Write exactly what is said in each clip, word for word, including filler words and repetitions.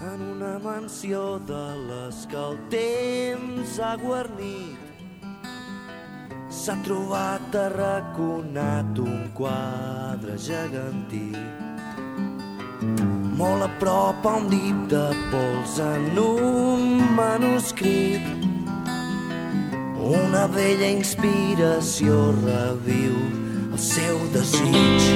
en una mansió de les que el temps ha guarnit. S'ha trobat arraconat un quadre gegantí, molt a prop a un dip de pols en un manuscrit. Una vella inspiració reviu el seu desig.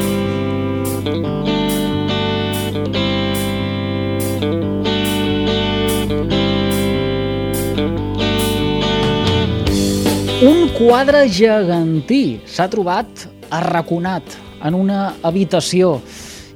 Un quadre gegantí s'ha trobat arraconat en una habitació.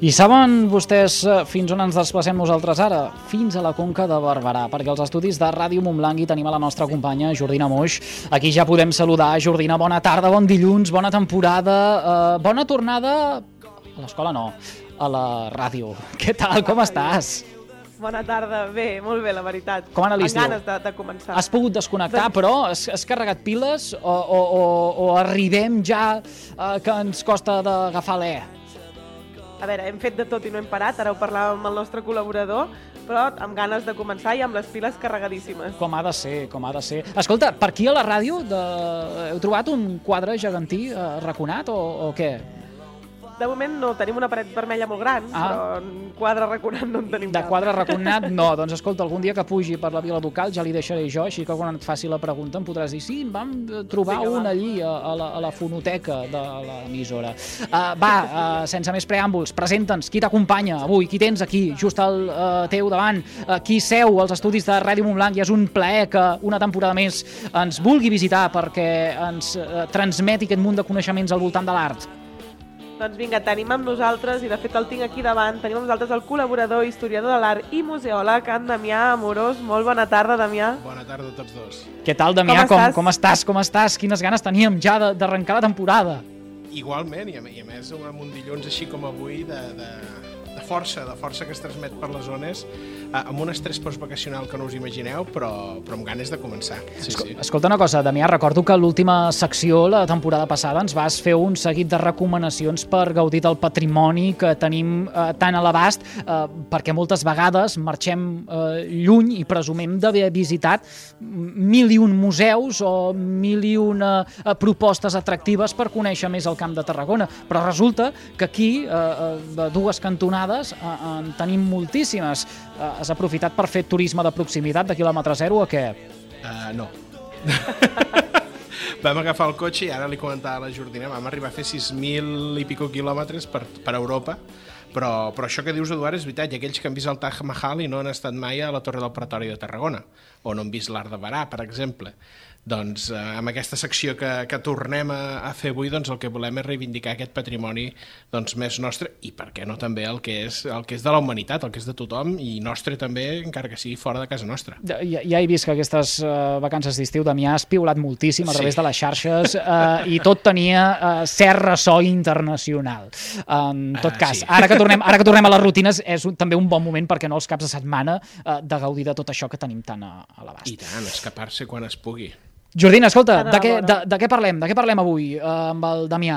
I saben vostès fins on ens desplacem nosaltres ara? Fins a la Conca de Barberà, perquè als estudis de Ràdio Montblanc hi tenim a la nostra companya Jordina Moix. Aquí ja podem saludar. Jordina, bona tarda, bon dilluns, bona temporada, eh, bona tornada a l'escola, no, a la ràdio. Què tal, com estàs? Bona tarda, bé, molt bé, la veritat. Com ha anat l'estiu? Amb ganes de, de començar. Has pogut desconnectar, doncs... però has, has carregat piles o, o, o, o arribem ja eh, que ens costa d'agafar l'E? A veure, hem fet de tot i no hem parat, ara ho parlàvem amb el nostre col·laborador, però amb ganes de començar i amb les piles carregadíssimes. Com ha de ser, com ha de ser. Escolta, per aquí a la ràdio de... heu trobat un quadre gegantí eh, arraconat o, o què? De moment no, tenim una paret vermella molt gran, ah. però un quadre arraconat no en tenim De cap. quadre arraconat no, doncs escolta, algun dia que pugi per la Vila Ducal ja li deixaré jo, així que quan et faci la pregunta em podràs dir, sí, vam trobar sí, un va. allí a, a, la, a la fonoteca de l'emissora. Uh, va, uh, sense més preàmbuls, presenta'ns, qui t'acompanya avui, qui tens aquí, just al uh, teu davant, uh, qui seu als estudis de Ràdio Montblanc, i és un plaer que una temporada més ens vulgui visitar perquè ens uh, transmeti aquest munt de coneixements al voltant de l'art. Doncs vinga, tenim amb nosaltres, i de fet el tinc aquí davant, tenim amb nosaltres el col·laborador, historiador de l'art i museòleg, en Damià Amorós. Molt bona tarda, Damià. Bona tarda a tots dos. Què tal, Damià? Com, com, com estàs? Com estàs? Quines ganes teníem ja d'arrencar la temporada. Igualment, i a, i a més amb un dilluns així com avui de, de, de força, de força que es transmet per les zones, eh, amb un estrès postvacacional que no us imagineu, però, però amb ganes de començar. Sí, Escol sí. Escolta una cosa, Damià, recordo que l'última secció, la temporada passada, ens vas fer un seguit de recomanacions per gaudir del patrimoni que tenim eh, tan a l'abast, eh, perquè moltes vegades marxem eh, lluny i presumim d'haver visitat mil i un museus o mil i una eh, propostes atractives per conèixer més el Camp de Tarragona, però resulta que aquí, eh, de dues cantonades, eh, en tenim moltíssimes. Eh, has aprofitat per fer turisme de proximitat de quilòmetre zero o què? Uh, no. Vam agafar el cotxe i ara li comentava a la Jordina, vam arribar a fer sis mil i pico quilòmetres per, per Europa, però, però això que dius, Eduard, és veritat, i aquells que han vist el Taj Mahal i no han estat mai a la Torre del Pretori de Tarragona, o no han vist l'Arc de Barà, per exemple. Doncs eh, amb aquesta secció que, que tornem a, a fer avui, doncs el que volem és reivindicar aquest patrimoni doncs, més nostre, i per què no també el que és el que és de la humanitat, el que és de tothom, i nostre també, encara que sigui fora de casa nostra. Ja, ja he vist que aquestes uh, vacances d'estiu, Damià, has piulat moltíssim a través sí. de les xarxes uh, i tot tenia uh, cert ressò internacional. En tot uh, cas, sí. ara, que tornem, ara que tornem a les rutines, és un, també un bon moment, perquè no, els caps de setmana, uh, de gaudir de tot això que tenim tan a, a l'abast. I tant, escapar-se quan es pugui. Jordina, escolta, de què, de, de què parlem? De què parlem avui eh, amb el Damià?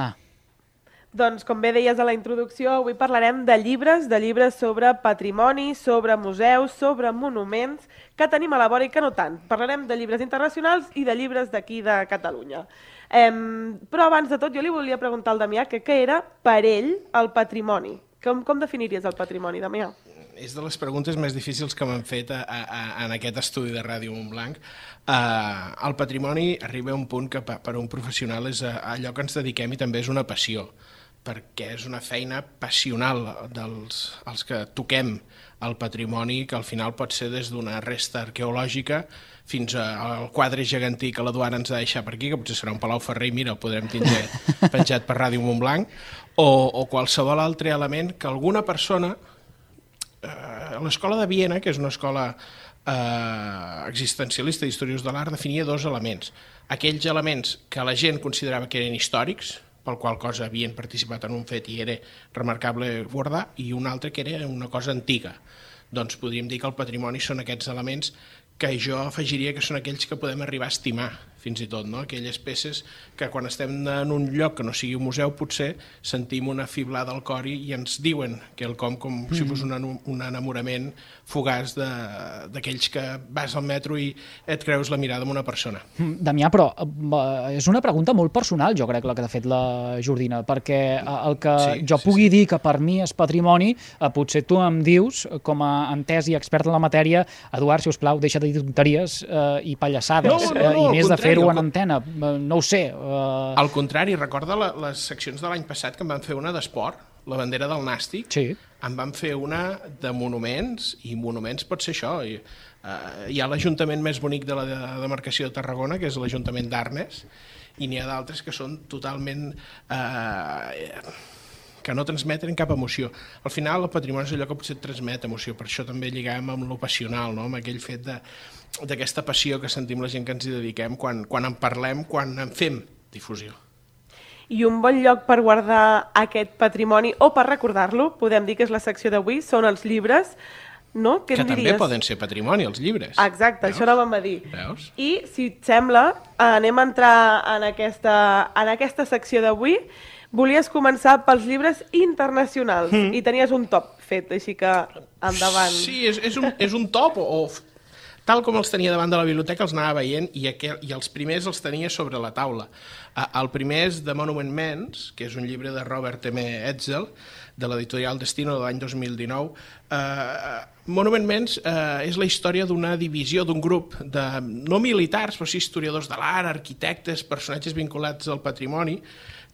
Doncs, com bé deies a la introducció, avui parlarem de llibres, de llibres sobre patrimoni, sobre museus, sobre monuments, que tenim a la vora i que no tant. Parlarem de llibres internacionals i de llibres d'aquí de Catalunya. Eh, però abans de tot jo li volia preguntar al Damià que què era per ell el patrimoni. Com, com definiries el patrimoni, Damià? És de les preguntes més difícils que m'han fet a, a, en aquest estudi de Ràdio Montblanc. Uh, el patrimoni arriba a un punt que per a un professional és allò que ens dediquem i també és una passió, perquè és una feina passional dels els que toquem el patrimoni, que al final pot ser des d'una resta arqueològica fins al quadre gegantí que l'Eduard ens ha deixat per aquí, que potser serà un Palau Ferrer i mira, el podrem tindre penjat per Ràdio Montblanc, o, o qualsevol altre element que alguna persona... A l'escola de Viena, que és una escola eh, existencialista d'historiadors de l'art, definia dos elements. Aquells elements que la gent considerava que eren històrics, pel qual cosa havien participat en un fet i era remarcable guardar, i un altre que era una cosa antiga. Doncs podríem dir que el patrimoni són aquests elements que jo afegiria que són aquells que podem arribar a estimar fins i tot, no? Aquelles peces que quan estem en un lloc que no sigui un museu potser sentim una fiblada al cor i ens diuen que el com com mm. si fos un, un enamorament fugaç d'aquells que vas al metro i et creus la mirada d'una persona. Damià, però és una pregunta molt personal, jo crec, la que ha fet la Jordina, perquè el que sí, jo sí, pugui sí. dir que per mi és patrimoni, potser tu em dius, com a entès i expert en la matèria, Eduard, si us plau, deixa de dir tonteries eh, i pallassades, no, no, no, i més de fer-ho en antena, no ho sé. Uh... Al contrari, recorda la, les seccions de l'any passat que em van fer una d'esport, la bandera del Nàstic, sí. em van fer una de monuments, i monuments pot ser això. I, uh, hi ha l'Ajuntament més bonic de la demarcació de Tarragona, que és l'Ajuntament d'Arnes, i n'hi ha d'altres que són totalment... Uh, que no transmeten cap emoció. Al final, el patrimoni és allò que potser et transmet emoció, per això també lligàvem amb lo passional, no? Amb aquell fet d'aquesta passió que sentim la gent que ens hi dediquem quan, quan en parlem, quan en fem difusió. I un bon lloc per guardar aquest patrimoni o per recordar-lo, podem dir que és la secció d'avui, són els llibres, no? Què que em també diries? Poden ser patrimoni, els llibres. Exacte, Veus? això anàvem a dir. Veus? I, si et sembla, anem a entrar en aquesta, en aquesta secció d'avui. Volies començar pels llibres internacionals mm. i tenies un top fet, així que endavant. Sí, és, és, un, és un top, o, o tal com els tenia davant de la biblioteca els anava veient i, aquel, i els primers els tenia sobre la taula. El primer és The Monument Men, que és un llibre de Robert M. Etzel, de l'editorial Destino de l'any dos mil dinou. Uh, Monument Men uh, és la història d'una divisió, d'un grup de no militars, però sí historiadors de l'art, arquitectes, personatges vinculats al patrimoni,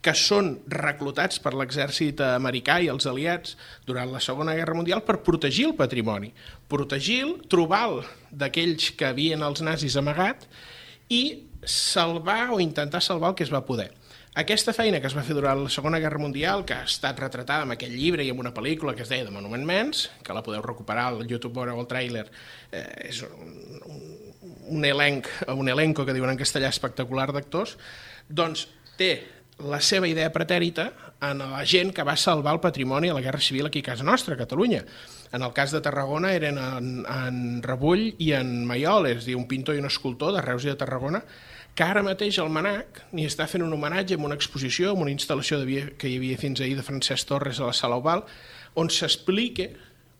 que són reclutats per l'exèrcit americà i els aliats durant la Segona Guerra Mundial per protegir el patrimoni, protegir-lo, trobar-lo d'aquells que havien els nazis amagat i salvar o intentar salvar el que es va poder. Aquesta feina que es va fer durant la Segona Guerra Mundial, que ha estat retratada en aquest llibre i en una pel·lícula que es deia The Monument Men, que la podeu recuperar al YouTube o al tràiler, eh, és un, un, un elenc, un elenco que diuen en castellà espectacular d'actors, doncs té la seva idea pretèrita en la gent que va salvar el patrimoni a la Guerra Civil aquí a casa nostra, a Catalunya. En el cas de Tarragona eren en, en Rebull i en Maiol, és a dir, un pintor i un escultor de Reus i de Tarragona, que ara mateix el MANAC n'hi està fent un homenatge amb una exposició, amb una instal·lació de, que hi havia fins ahir de Francesc Torres a la Sala Oval, on s'explica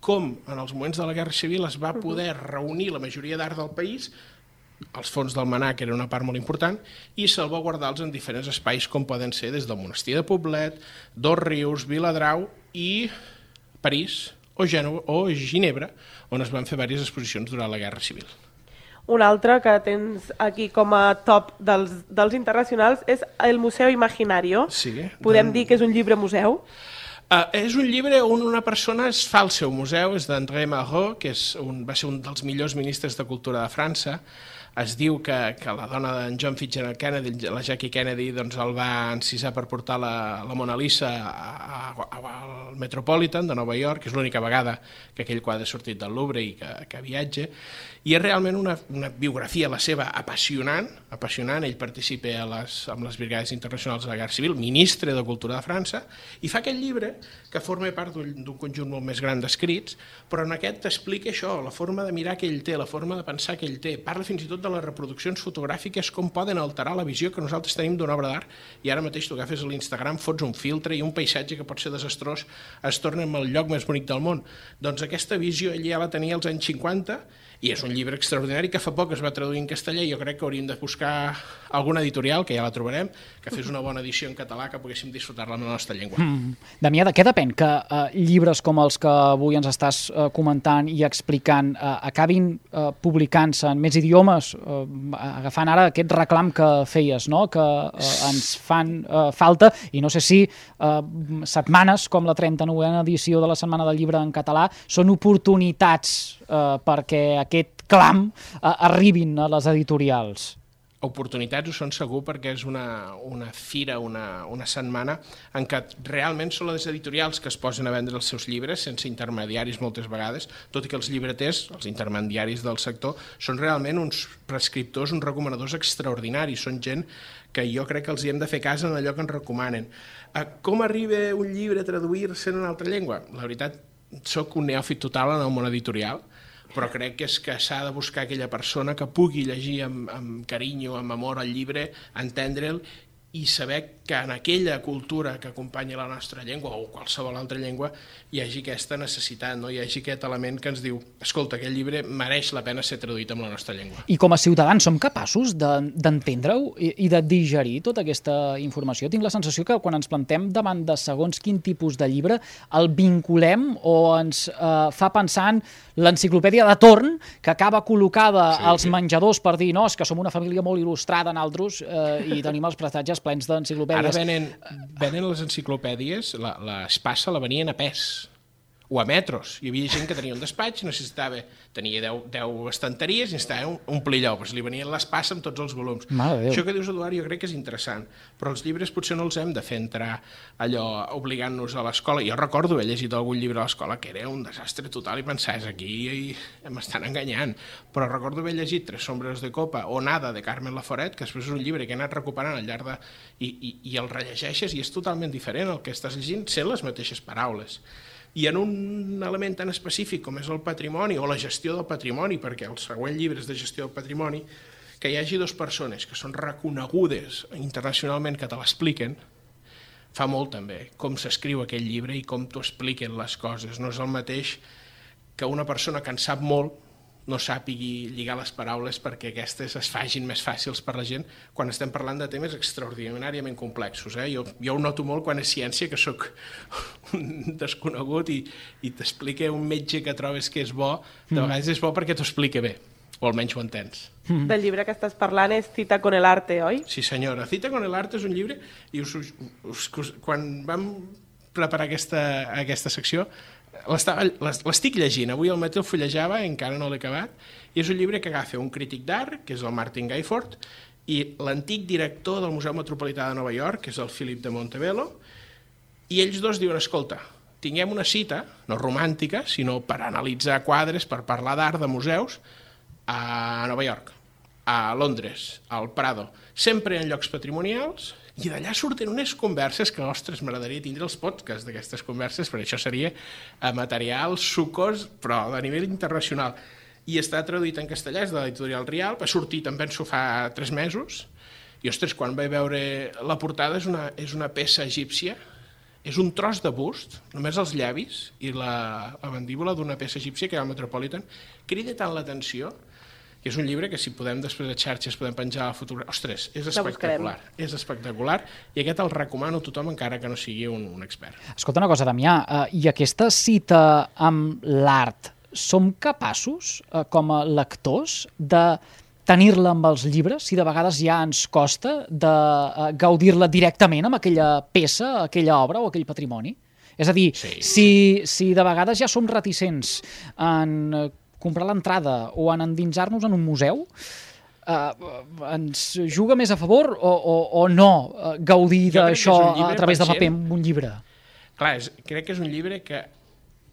com en els moments de la Guerra Civil es va poder reunir la majoria d'art del país, els fons del MANAC era una part molt important, i salvaguardar-los en diferents espais com poden ser des del Monestir de Poblet, Dos Rius, Viladrau i París o, Gènova, o Ginebra, on es van fer diverses exposicions durant la Guerra Civil. Un altre que tens aquí com a top dels, dels internacionals és el Museu Imaginario. Sí, Podem doncs... dir que és un llibre museu? Uh, és un llibre on una persona es fa el seu museu, és d'André Malraux, que és un, va ser un dels millors ministres de Cultura de França. Es diu que, que la dona d'en John Fitzgerald Kennedy, la Jackie Kennedy, doncs el va encisar per portar la, la Mona Lisa a, a, a, al Metropolitan de Nova York, que és l'única vegada que aquell quadre ha sortit del Louvre i que, que viatja. I és realment una, una biografia, la seva, apassionant, apassionant. Ell participa a les, amb les Brigades Internacionals de la Guerra Civil, ministre de Cultura de França, i fa aquest llibre que forma part d'un conjunt molt més gran d'escrits, però en aquest t'explica això, la forma de mirar que ell té, la forma de pensar que ell té. Parla fins i tot de les reproduccions fotogràfiques, com poden alterar la visió que nosaltres tenim d'una obra d'art, i ara mateix tu agafes a l'Instagram, fots un filtre i un paisatge que pot ser desastrós es torna en el lloc més bonic del món. Doncs aquesta visió ell ja la tenia als anys cinquanta, i és un llibre extraordinari que fa poc es va traduir en castellà, i jo crec que hauríem de buscar alguna editorial, que ja la trobarem, que fes una bona edició en català, que poguéssim disfrutar-la en la nostra llengua. Mm. Damià, de què depèn que uh, llibres com els que avui ens estàs uh, comentant i explicant uh, acabin uh, publicant-se en més idiomes, uh, agafant ara aquest reclam que feies, no? Que uh, ens fan uh, falta, i no sé si uh, setmanes com la trenta-novena edició de la Setmana del Llibre en català són oportunitats uh, perquè aquest clam uh, arribin a les editorials. Oportunitats ho són segur, perquè és una, una fira, una, una setmana en què realment són les editorials que es posen a vendre els seus llibres sense intermediaris moltes vegades, tot i que els llibreters, els intermediaris del sector, són realment uns prescriptors, uns recomanadors extraordinaris, són gent que jo crec que els hi hem de fer cas en allò que ens recomanen. Com arriba un llibre a traduir-se en una altra llengua? La veritat, soc un neòfit total en el món editorial, però crec que és que s'ha de buscar aquella persona que pugui llegir amb, amb carinyo, amb amor el llibre, entendre'l i saber que en aquella cultura que acompanya la nostra llengua o qualsevol altra llengua hi hagi aquesta necessitat, no? Hi hagi aquest element que ens diu, escolta, aquest llibre mereix la pena ser traduït en la nostra llengua. I com a ciutadans som capaços d'entendre-ho i, i de digerir tota aquesta informació? Tinc la sensació que quan ens plantem davant de segons quin tipus de llibre el vinculem o ens eh, fa pensar en l'enciclopèdia de torn que acaba col·locada sí, als menjadors per dir no, és que som una família molt il·lustrada nosaltres eh, i tenim els prestatges plens d'enciclopèdies. Ara venen, venen les enciclopèdies, la, l'Espasa la venien a pes o a metros. Hi havia gent que tenia un despatx, necessitava, tenia deu, deu estanteries i necessitava un, un plilló, doncs li venien l'Espasa amb tots els volums. Això que dius, Eduard, jo crec que és interessant, però els llibres potser no els hem de fer entrar allò obligant-nos a l'escola. Jo recordo haver llegit algun llibre a l'escola que era un desastre total i pensar, és aquí i m'estan enganyant, però recordo haver llegit Tres sombres de copa o Nada de Carmen Laforet, que després és un llibre que he anat recuperant al llarg de... i, i, i el rellegeixes i és totalment diferent, el que estàs llegint sent les mateixes paraules. I en un element tan específic com és el patrimoni o la gestió del patrimoni, perquè el següent llibre és de gestió del patrimoni, que hi hagi dues persones que són reconegudes internacionalment que te l'expliquen, fa molt també com s'escriu aquell llibre i com t'ho expliquen les coses. No és el mateix que una persona que en sap molt no sàpigui lligar les paraules perquè aquestes es fagin més fàcils per la gent quan estem parlant de temes extraordinàriament complexos. Eh? Jo, jo ho noto molt quan és ciència, que sóc un desconegut i, i t'explica un metge que trobes que és bo, de vegades és bo perquè t'ho explica bé, o almenys ho entens. Mm. Del llibre que estàs parlant és Cita con el arte, oi? Sí, senyora. Cita con el arte és un llibre i us, us, us, quan vam preparar aquesta, aquesta secció l'estic llegint, avui al matí el fullejava, encara no l'he acabat, i és un llibre que agafa un crític d'art, que és el Martin Gayford, i l'antic director del Museu Metropolità de Nova York, que és el Philip de Montebello, i ells dos diuen, escolta, tinguem una cita, no romàntica, sinó per analitzar quadres, per parlar d'art de museus, a Nova York, a Londres, al Prado, sempre en llocs patrimonials, i d'allà surten unes converses que, ostres, m'agradaria tindre els podcasts d'aquestes converses, perquè això seria material sucós, però de nivell internacional. I està traduït en castellà, és de l'editorial Rial, va sortir també en fa tres mesos, i, ostres, quan vaig veure la portada és una, és una peça egípcia, és un tros de bust, només els llavis i la, la mandíbula d'una peça egípcia que hi ha al Metropolitan, crida tant l'atenció, que és un llibre que si podem després de xarxes podem penjar a la fotografia. Ostres, és espectacular, és espectacular i aquest el recomano a tothom encara que no sigui un, un expert. Escolta una cosa, Damià, uh, i aquesta cita amb l'art, som capaços, uh, com a lectors, de tenir-la amb els llibres, si de vegades ja ens costa de uh, gaudir-la directament amb aquella peça, aquella obra o aquell patrimoni? És a dir, sí. si, si de vegades ja som reticents en uh, comprar l'entrada o en endinsar-nos en un museu, eh, ens juga més a favor o, o, o no eh, gaudir d'això a través de paper amb un llibre? Clar, és, crec que és un llibre que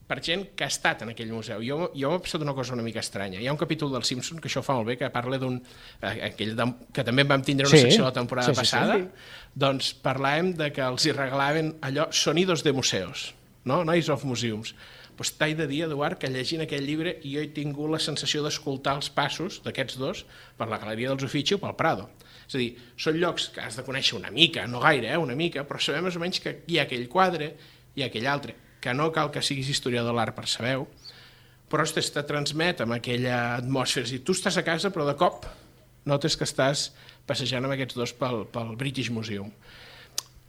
per gent que ha estat en aquell museu. Jo, jo m'ha passat una cosa una mica estranya. Hi ha un capítol del Simpson que això fa molt bé, que parla d'un... Eh, aquell de, que també vam tindre una sí, secció la temporada sí, sí, passada, sí, sí. Doncs parlàvem de que els hi regalaven allò, sonidos de museos, no? Noise of Museums. Pues t'he de dir, Eduard, que llegint aquell llibre jo he tingut la sensació d'escoltar els passos d'aquests dos per la Galeria dels Uffizi o pel Prado. És a dir, són llocs que has de conèixer una mica, no gaire, eh, una mica, però sabem més o menys que hi ha aquell quadre i aquell altre, que no cal que siguis historiador de l'art per saber-ho, però ostres, te transmet amb aquella atmosfera. És a dir, tu estàs a casa, però de cop notes que estàs passejant amb aquests dos pel, pel British Museum.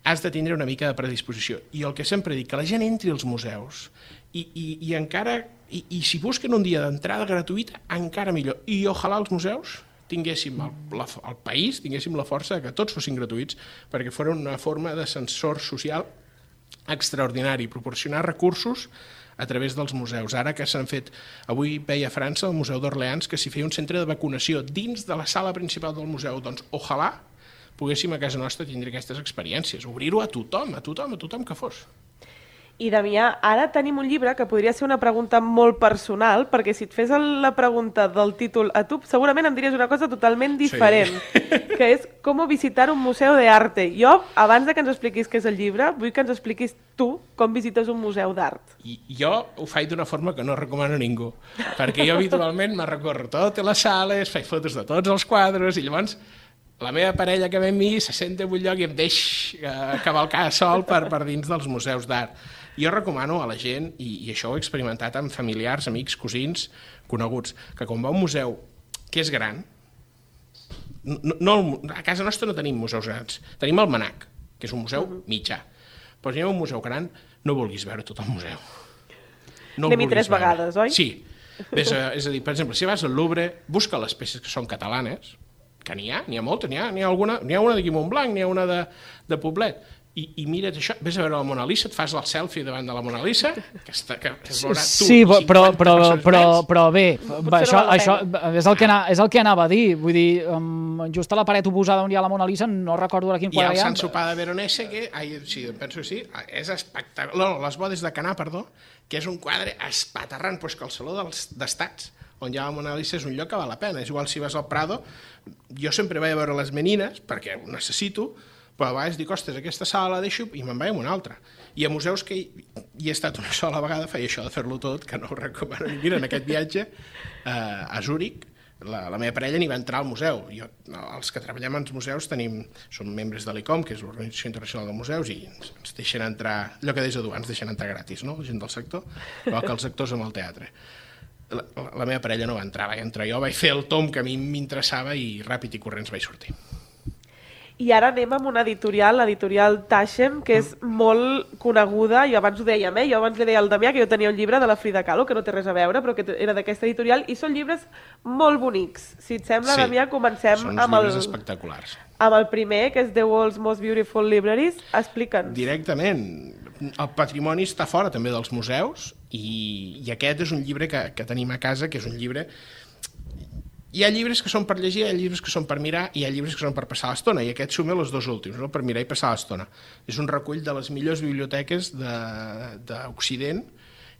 Has de tindre una mica de predisposició. I el que sempre dic, que la gent entri als museus i, i, i encara, i, i si busquen un dia d'entrada gratuïta, encara millor. I ojalà els museus tinguéssim, el, la, el país, tinguéssim la força que tots fossin gratuïts, perquè fos una forma d'ascensor social extraordinari, proporcionar recursos a través dels museus. Ara que s'han fet, avui veia a França, el Museu d'Orleans, que s'hi feia un centre de vacunació dins de la sala principal del museu, doncs ojalà poguéssim a casa nostra tindre aquestes experiències, obrir-ho a tothom, a tothom, a tothom que fos. I, Damià, ara tenim un llibre que podria ser una pregunta molt personal, perquè si et fes la pregunta del títol a tu, segurament em diries una cosa totalment diferent, sí. que és com visitar un museu d'arte. Jo, abans de que ens expliquis què és el llibre, vull que ens expliquis tu com visites un museu d'art. I jo ho faig d'una forma que no recomano a ningú, perquè jo habitualment me recorro totes les sales, faig fotos de tots els quadres, i llavors la meva parella que ve amb mi se senta en un lloc i em deix eh, cavalcar sol per, per dins dels museus d'art. Jo recomano a la gent, i, i això ho he experimentat amb familiars, amics, cosins, coneguts, que quan va a un museu que és gran, no, no, a casa nostra no tenim museus grans, tenim el MNAC, que és un museu mitjà, però si anem a un museu gran no vulguis veure tot el museu. No Anem-hi tres veure. vegades, oi? Sí. Ves a, és a dir, per exemple, si vas al Louvre, busca les peces que són catalanes, que n'hi ha, n'hi ha moltes, n'hi ha, n'hi ha, alguna, n'hi ha una d'aquí Montblanc, n'hi ha una de, de Poblet, i, i mira't això, vés a veure la Mona Lisa, et fas el selfie davant de la Mona Lisa, que, està, que es veurà tu, sí, però, però, però, però bé, va, això, això és, el que anava, és el que anava a dir, vull dir, um, just a la paret oposada on hi ha la Mona Lisa, no recordo ara quin quadre hi ha. I el Sant Sopar de Veronese, que, ai, sí, penso que sí, és espectacular, no, les bodes de Canà, perdó, que és un quadre espaterrant, doncs que el Saló dels d'Estats, on hi ha la Mona Lisa, és un lloc que val la pena. És igual si vas al Prado, jo sempre vaig a veure les menines, perquè ho necessito, però a vegades dic, ostres, aquesta sala la deixo i me'n vaig a una altra. I a museus que hi, hi he estat una sola vegada, feia això de fer-lo tot, que no ho recomano. Mira, en aquest viatge eh, a Zúrich, la, la meva parella n'hi va entrar al museu. Jo, els que treballem als museus tenim, som membres de l'I C O M, que és l'Organització Internacional de Museus, i ens, ens deixen entrar, allò que deies a tu, ens deixen entrar gratis, no?, la gent del sector, igual que els actors amb el teatre. La, la meva parella no va entrar, vaig entrar jo, vaig fer el tom que a mi m'interessava i ràpid i corrents vaig sortir. I ara anem amb una editorial, l'editorial Taschen, que és molt coneguda, i abans ho dèiem, eh? Jo abans li deia al Damià que jo tenia un llibre de la Frida Kahlo, que no té res a veure, però que era d'aquesta editorial, i són llibres molt bonics. Si et sembla, sí, Damià, comencem són amb el, espectaculars. amb el primer, que és The World's Most Beautiful Libraries. Explica'ns. Directament. El patrimoni està fora també dels museus, i, i aquest és un llibre que, que tenim a casa, que és un llibre... Hi ha llibres que són per llegir, hi ha llibres que són per mirar, i hi ha llibres que són per passar l'estona, i aquest suma els dos últims, no? Per mirar i passar l'estona. És un recull de les millors biblioteques d'Occident,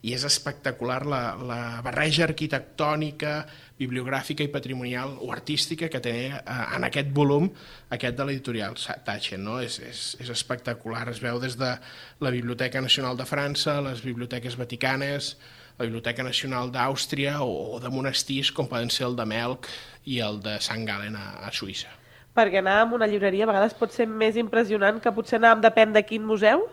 i és espectacular la, la barreja arquitectònica, bibliogràfica i patrimonial o artística que té en aquest volum, aquest de l'editorial Taschen, no? És, és, és espectacular, es veu des de la Biblioteca Nacional de França, les biblioteques vaticanes, la Biblioteca Nacional d'Àustria o de monestirs com poden ser el de Melk i el de Sant Galen a, a Suïssa. Perquè anar a una llibreria a vegades pot ser més impressionant que potser anar depèn de quin museu?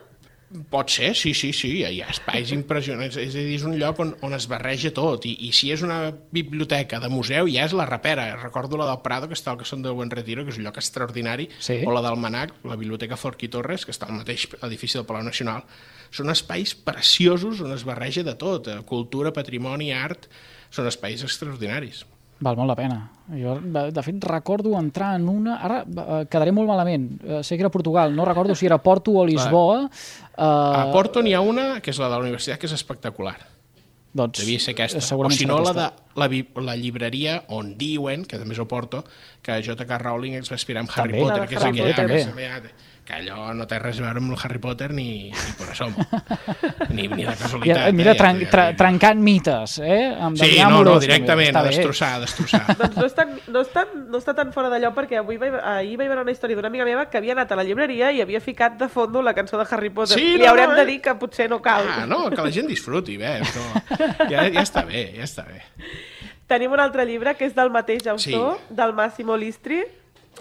Pot ser, sí, sí, sí, hi ha espais impressionants, és a dir, és un lloc on, on es barreja tot, i, i si és una biblioteca de museu ja és la repera. Recordo la del Prado, que està al Casón de Buen Retiro, que és un lloc extraordinari, sí. O la del Manac, la Biblioteca Forquí Torres, que està al mateix edifici del Palau Nacional. Són espais preciosos on es barreja de tot, cultura, patrimoni, art, són espais extraordinaris. Val molt la pena. Jo, de fet, recordo entrar en una... Ara quedaré molt malament. Sé que era Portugal. No recordo si era Porto o Lisboa. Uh... A Porto n'hi ha una, que és la de la universitat, que és espectacular. Doncs, devia ser aquesta. O si no, la de la, la llibreria on diuen, que també és a Porto, que J K Rowling es va inspirar en Harry també, Potter, que és també, aquella també. que, que allò no té res a veure amb el Harry Potter ni, ni per això, ni, ni de casualitat. Ja, mira, eh, tran, ja, tra, ja, trencant mites, eh? Amb sí, no, no, directament, a destrossar, a destrossar. Doncs no està, no, està, no està tan fora d'allò, perquè avui vaig, ahir vaig veure una història d'una amiga meva que havia anat a la llibreria i havia ficat de fondo la cançó de Harry Potter. Sí, Li no, haurem no, de dir que potser no cal. Ah, no, que la gent disfruti, bé, no. ja, ja està bé, ja està bé. Tenim un altre llibre que és del mateix autor, sí. del Massimo Listri.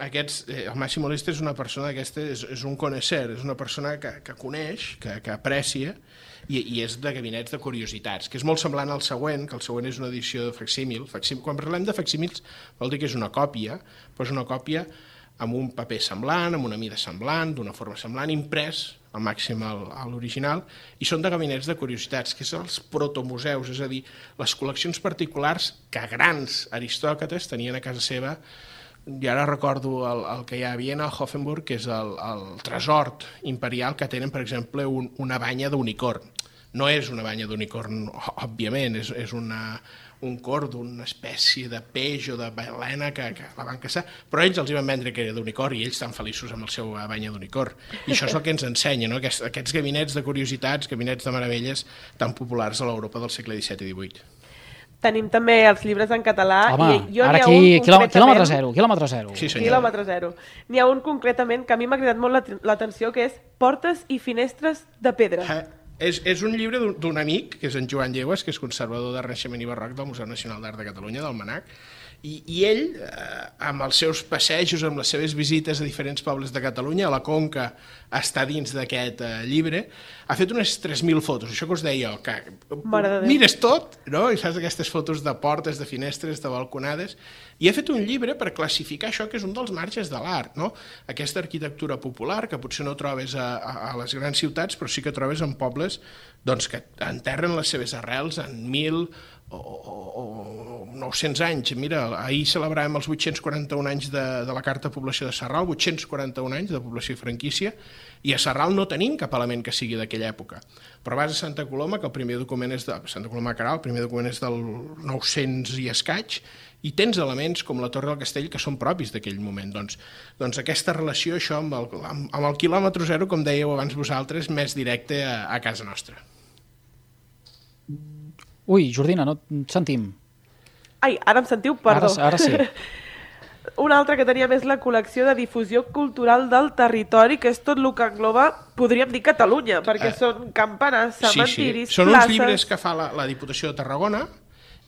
Aquests, eh, el Massimo Listri és una persona aquesta, és, és un connoisseur, és una persona que, que coneix, que, que aprecia, i, i és de gabinets de curiositats, que és molt semblant al següent, que el següent és una edició de facsímil. Facsímil. Quan parlem de facsímils vol dir que és una còpia, però és una còpia amb un paper semblant, amb una mida semblant, d'una forma semblant, imprès al màxim a l'original, i són de gabinets de curiositats, que és els protomuseus, és a dir, les col·leccions particulars que grans aristòcrates tenien a casa seva. I ara recordo el, el que hi ha a Viena, a Hoffenburg, que és el, el tresor imperial, que tenen, per exemple, un, una banya d'unicorn. No és una banya d'unicorn, òbviament, és, és una, un cor d'una espècie de peix o de balena que, que la van caçar, però ells els hi van vendre que era d'unicor i ells estan feliços amb el seu banya d'unicor. I això és el que ens ensenya, no? Aquests, aquests gabinets de curiositats, gabinets de meravelles tan populars a l'Europa del segle disset i divuit. Tenim també els llibres en català. Home, i jo ara n'hi ha aquí, un quilòmetre, concretament... quilòmetre zero, quilòmetre zero. Sí, senyor. Quilòmetre zero. N'hi ha un concretament que a mi m'ha cridat molt l'atenció, que és Portes i finestres de pedra. Eh, és, és un llibre d'un amic, que és en Joan Llegües, que és conservador de Renaixement i Barroc del Museu Nacional d'Art de Catalunya, del MNAC, i, i ell, eh, amb els seus passejos, amb les seves visites a diferents pobles de Catalunya, a la Conca està dins d'aquest eh, llibre, ha fet unes tres mil fotos, això que us deia jo, que mires tot, no? I fas aquestes fotos de portes, de finestres, de balconades, i ha fet un llibre per classificar això que és un dels marges de l'art, no? Aquesta arquitectura popular, que potser no trobes a, a, a les grans ciutats, però sí que trobes en pobles doncs, que enterren les seves arrels en mil o, o, o nou-cents anys. Mira, ahir celebràvem els vuit-cents quaranta-un anys de, de la Carta de Població de Sarral, vuit-cents quaranta-un anys de població i franquícia, i a Sarral no tenim cap element que sigui d'aquella època. Però vas a Santa Coloma, que el primer document és de Santa Coloma de Queralt, el primer document és del nou-cents i escaig, i tens elements com la Torre del Castell que són propis d'aquell moment. Doncs, doncs aquesta relació, això, amb el, amb, amb el quilòmetre zero, com dèieu abans vosaltres, més directe a, a casa nostra. Ui, Jordina, no et sentim. Ai, ara em sentiu? Perdó. Ara, ara sí. Un altre que teníem és la col·lecció de difusió cultural del territori, que és tot el que engloba, podríem dir Catalunya, perquè uh, són campanars, cementiris, sí, sí. Són places... uns llibres que fa la, la Diputació de Tarragona,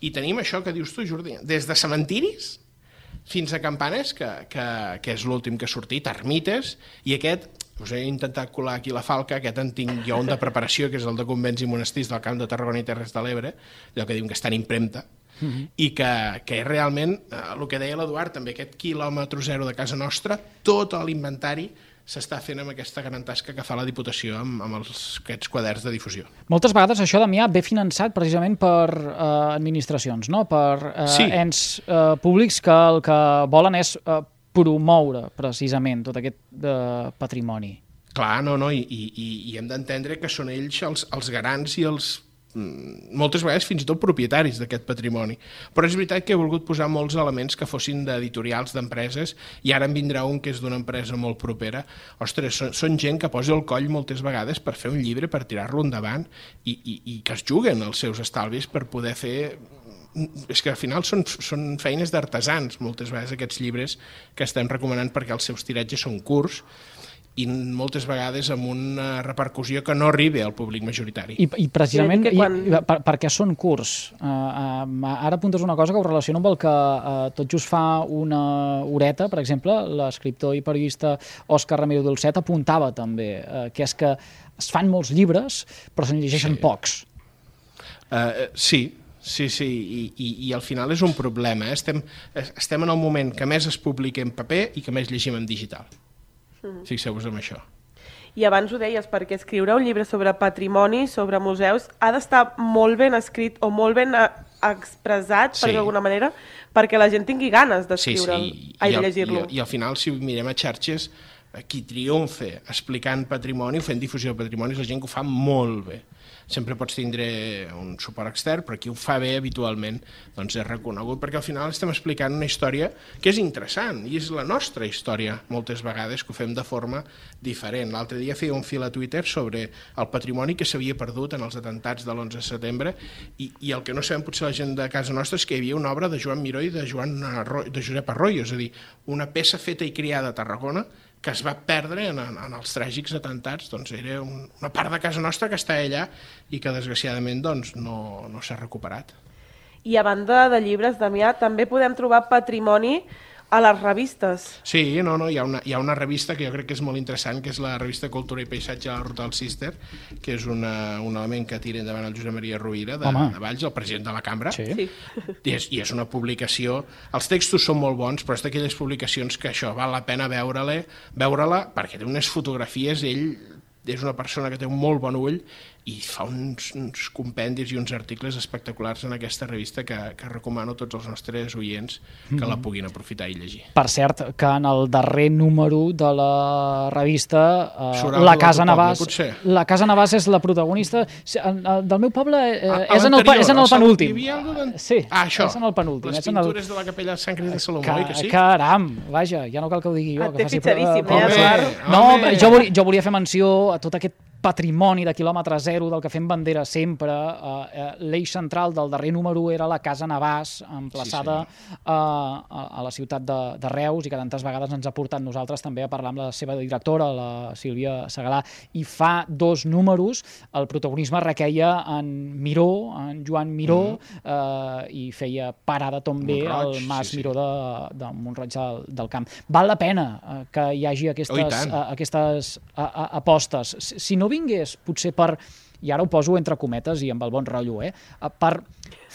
i tenim això que dius tu, Jordi, des de cementiris fins a campanes, que, que, que és l'últim que ha sortit, ermites, i aquest, us he intentat colar aquí la falca, aquest en tinc jo un de preparació, que és el de convents i monestirs del Camp de Tarragona i Terres de l'Ebre, allò que diuen que està en impremta, Uh-huh. i que, que realment, eh, el que deia l'Eduard, també aquest quilòmetre zero de casa nostra, tot l'inventari s'està fent amb aquesta gran tasca que fa la Diputació amb, amb els, aquests quaderns de difusió. Moltes vegades això, Damià, ve finançat precisament per eh, administracions, no? Per eh, sí. ens eh, públics que el que volen és eh, promoure precisament tot aquest eh, patrimoni. Clar, no, no, i, i, i hem d'entendre que són ells els, els garants i els moltes vegades fins i tot propietaris d'aquest patrimoni. Però és veritat que he volgut posar molts elements que fossin d'editorials d'empreses, i ara en vindrà un que és d'una empresa molt propera. Ostres, són, són gent que posa el coll moltes vegades per fer un llibre, per tirar-lo endavant, i, i, i que es juguen els seus estalvis per poder fer... És que al final són, són feines d'artesans, moltes vegades, aquests llibres que estem recomanant, perquè els seus tiratges són curts, i moltes vegades amb una repercussió que no arriba al públic majoritari. I, i precisament, I quan... i, per, perquè són curts. Uh, uh, ara apuntes una cosa que ho relaciono amb el que uh, tot just fa una horeta, per exemple, l'escriptor i periodista Òscar Ramiro Dulcet apuntava també, uh, que és que es fan molts llibres, però se'n llegeixen sí. pocs. Uh, sí, sí, sí, I, i, i al final és un problema. Eh? Estem, estem en el moment que més es publica en paper i que més llegim en digital. Fixeu-vos en això. I abans ho deies, perquè escriure un llibre sobre patrimoni, sobre museus, ha d'estar molt ben escrit o molt ben expressat, per sí. d'alguna manera, perquè la gent tingui ganes d'escriure'l, sí, sí. I, de llegir-lo. I, I al final, si mirem a xarxes, qui triomfa explicant patrimoni, fent difusió de patrimoni, és la gent que ho fa molt bé. Sempre pots tindre un suport extern, però qui ho fa bé habitualment doncs és reconegut, perquè al final estem explicant una història que és interessant, i és la nostra història, moltes vegades, que ho fem de forma diferent. L'altre dia feia un fil a Twitter sobre el patrimoni que s'havia perdut en els atemptats de l'onze de setembre, i, i el que no sabem potser la gent de casa nostra és que hi havia una obra de Joan Miró i de, Joan Arroyo, de Josep Arroyo, és a dir, una peça feta i criada a Tarragona, que es va perdre en, en els tràgics atemptats. Doncs era un, una part de casa nostra que està allà i que desgraciadament doncs, no, no s'ha recuperat. I a banda de llibres, Damià, també podem trobar patrimoni a les revistes. Sí, no, no, hi ha, una, hi ha una revista que jo crec que és molt interessant, que és la revista Cultura i Paisatge de la Ruta del Cister, que és una, un element que tira endavant el Josep Maria Rovira de, de Valls, el president de la Cambra. Sí. Sí. I, és, I és una publicació... Els textos són molt bons, però és d'aquelles publicacions que això val la pena veure-la, veure-la perquè té unes fotografies, ell és una persona que té un molt bon ull, i fa uns, uns compendis i uns articles espectaculars en aquesta revista que, que recomano a tots els nostres oients que la puguin aprofitar i llegir. Per cert, que en el darrer número de la revista eh, la Casa Navàs poble, la Casa Navàs és la protagonista del meu poble, eh, a, és, en el, és en el penúltim. Hi havia alguna... Sí, ah, això, és en el penúltim. Les pintures el... de la capella de Sant Crist de Salomó, Ca que sí? Caram, vaja, ja no cal que ho digui jo. Et té fitxadíssim, eh, Eduard? No, jo volia, jo volia fer menció a tot aquest patrimoni de quilòmetre zero del que fem bandera sempre. Uh, l'eix central del darrer número era la Casa Navàs, emplaçada sí, sí. Uh, a, a la ciutat de, de Reus, i que tantes vegades ens ha portat nosaltres també a parlar amb la seva directora, la Sílvia Segalà, i fa dos números el protagonisme requeia en Miró, en Joan Miró, mm. uh, i feia parada també al Mas sí, Miró sí. de, de Mont-roig del, del Camp. Val la pena uh, que hi hagi aquestes, oh, uh, aquestes uh, uh, apostes. Si, si no vingués potser per, i ara ho poso entre cometes i amb el bon rotllo, eh, per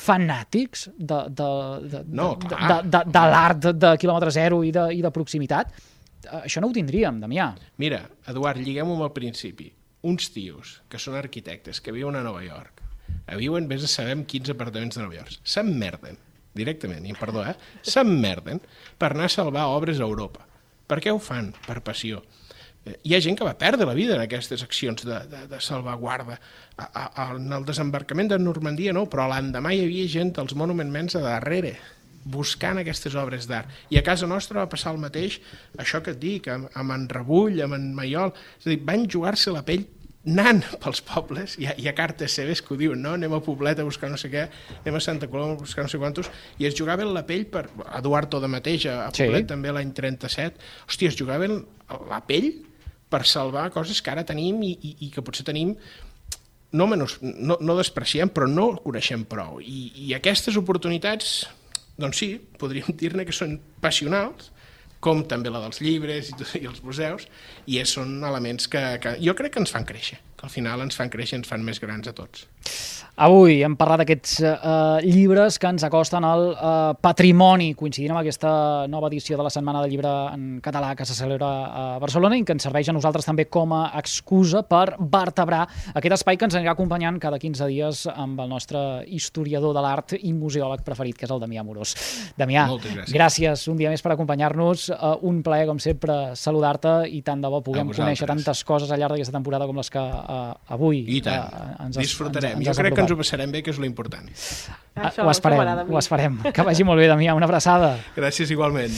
fanàtics de, de, de, no, de, de, de, de l'art de, de quilòmetre zero i de, i de proximitat, això no ho tindríem, Damià. Mira, Eduard, lliguem-ho amb el principi. Uns tios que són arquitectes, que viuen a Nova York, viuen, vés a saber, quinze apartaments de Nova York, s'emmerden, directament, i perdó, eh, s'emmerden per anar a salvar obres a Europa. Per què ho fan? Per passió. Hi ha gent que va perdre la vida en aquestes accions de, de, de salvaguarda. A, a, a, en el desembarcament de Normandia no, però l'endemà hi havia gent dels Monument Men a darrere, buscant aquestes obres d'art. I a casa nostra va passar el mateix, això que et dic, amb, amb en Rebull, amb en Maiol. És a dir, van jugar-se la pell anant pels pobles, hi ha, hi ha cartes seves que ho diuen, no? Anem a Poblet a buscar no sé què, anem a Santa Coloma a buscar no sé quantos, i es jugaven la pell per... Eduard Toda mateix, a Poblet, sí. També l'any trenta-set, hòstia, es jugaven la pell per salvar coses que ara tenim i, i, i que potser tenim, no, menys, no, no despreciem, però no coneixem prou. I, i aquestes oportunitats, doncs sí, podríem dir-ne que són passionals, com també la dels llibres i, i els museus, i és, són elements que, que jo crec que ens fan créixer, que al final ens fan créixer, ens fan més grans a tots. Avui hem parlat d'aquests uh, llibres que ens acosten al uh, patrimoni, coincidint amb aquesta nova edició de la Setmana del Llibre en Català que se celebra a Barcelona i que ens serveix a nosaltres també com a excusa per vertebrar aquest espai que ens anirà acompanyant cada quinze dies amb el nostre historiador de l'art i museòleg preferit, que és el Damià Amorós. Damià, gràcies. gràcies un dia més per acompanyar-nos. Uh, un plaer, com sempre, saludar-te i tant de bo puguem conèixer tantes coses al llarg d'aquesta temporada com les que uh, avui I tant. Uh, ens disfrutarem. Ens, ens jo crec que ens ho passarem bé, que és l'important. Ho esperem, ho esperem. Que vagi molt bé, Damià. Una abraçada. Gràcies igualment.